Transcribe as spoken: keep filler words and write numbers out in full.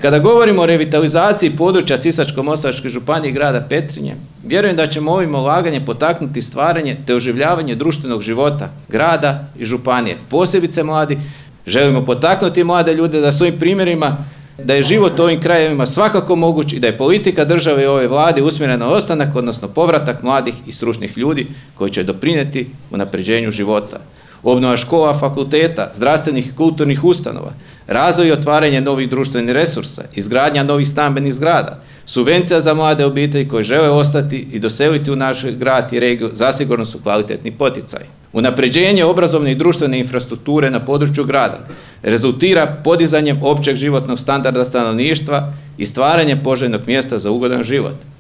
Kada govorimo o revitalizaciji područja Sisačko-moslavačke županije i grada Petrinje, vjerujem da ćemo ovim ulaganjem potaknuti stvaranje te oživljavanje društvenog života grada i županije, posebice mladi. Želimo potaknuti mlade ljude da svojim primjerima da je život u ovim krajevima svakako moguć i da je politika države i ove vlade usmjerena na ostanak, odnosno povratak mladih i stručnih ljudi koji će doprinijeti unapređenju života. Obnova škola, fakulteta, zdravstvenih i kulturnih ustanova, razvoj i otvaranje novih društvenih resursa, izgradnja novih stambenih zgrada, subvencija za mlade obitelji koji žele ostati i doseliti u naš grad i regiju zasigurno su kvalitetni poticaji. Unapređenje obrazovne i društvene infrastrukture na području grada rezultira podizanjem općeg životnog standarda stanovništva i stvaranjem poželjnog mjesta za ugodan život.